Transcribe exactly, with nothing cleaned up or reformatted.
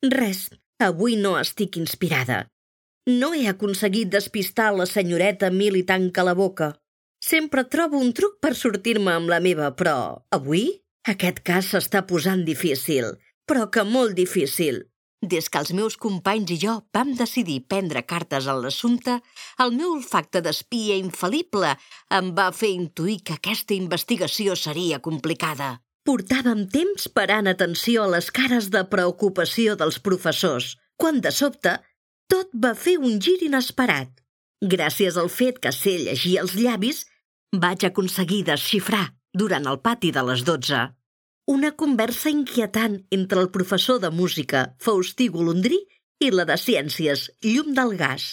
Res, avui no estic inspirada. No he aconseguit despistar la senyoreta Milly tanca la boca. Sempre trobo un truc per sortir-me amb la meva, però avui aquest cas s'està posant difícil, però que molt difícil. Des que els meus companys i jo vam decidir prendre cartes en l'assumpte, el meu olfacte d'espia infal·lible em va fer intuir que aquesta investigació seria complicada. Portàvem temps parant atenció a les cares de preocupació dels professors, quan de sobte tot va fer un gir inesperat. Gràcies al fet que sé llegir els llavis, vaig aconseguir desxifrar, durant el pati de les dotze, una conversa inquietant entre el professor de música, Faustí Golondrí, i la de ciències, Llum del Gas.